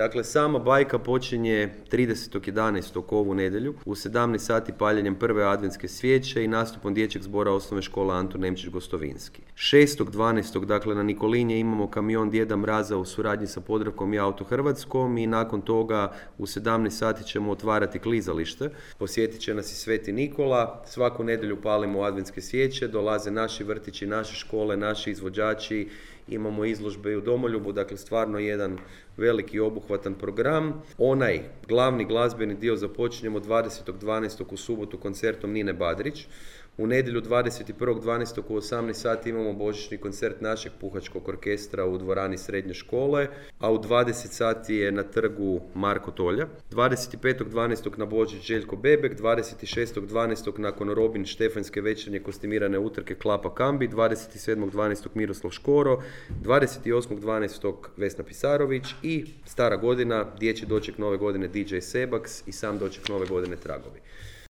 Dakle, sama bajka počinje 30.11. ovu nedjelju u 17 sati paljenjem prve adventske svijeće i nastupom dječjeg zbora osnovne škole Antun Nemčić Gostovinski. 6.12. dakle na Nikolinje imamo kamion Djeda Mraza u suradnji sa Podravkom i Auto Hrvatskom i nakon toga u 17 sati ćemo otvarati klizalište. Posjetit će nas i Sveti Nikola. Svaku nedjelju palimo adventske svijeće, dolaze naši vrtići, naše škole, naši izvođači, imamo izložbe i u Domoljubu, dakle stvarno jedan veliki obuhvatan program. Onaj glavni glazbeni dio započinjemo 20.12. u subotu koncertom Nine Badrić. U nedjelju 21.12. u 18 sati imamo božićni koncert našeg puhačkog orkestra u dvorani srednje škole, a u 20 sati je na trgu Marko Tolja. 25.12. na Božić Željko Bebek, 26.12. nakon Robin Štefanjske večernje kostimirane utrke Klapa Kambi, 27.12. Miroslav Škoro, 28.12. Vesna Pisarović i stara godina, dječji doček nove godine DJ Sebaks i sam doček nove godine Tragovi.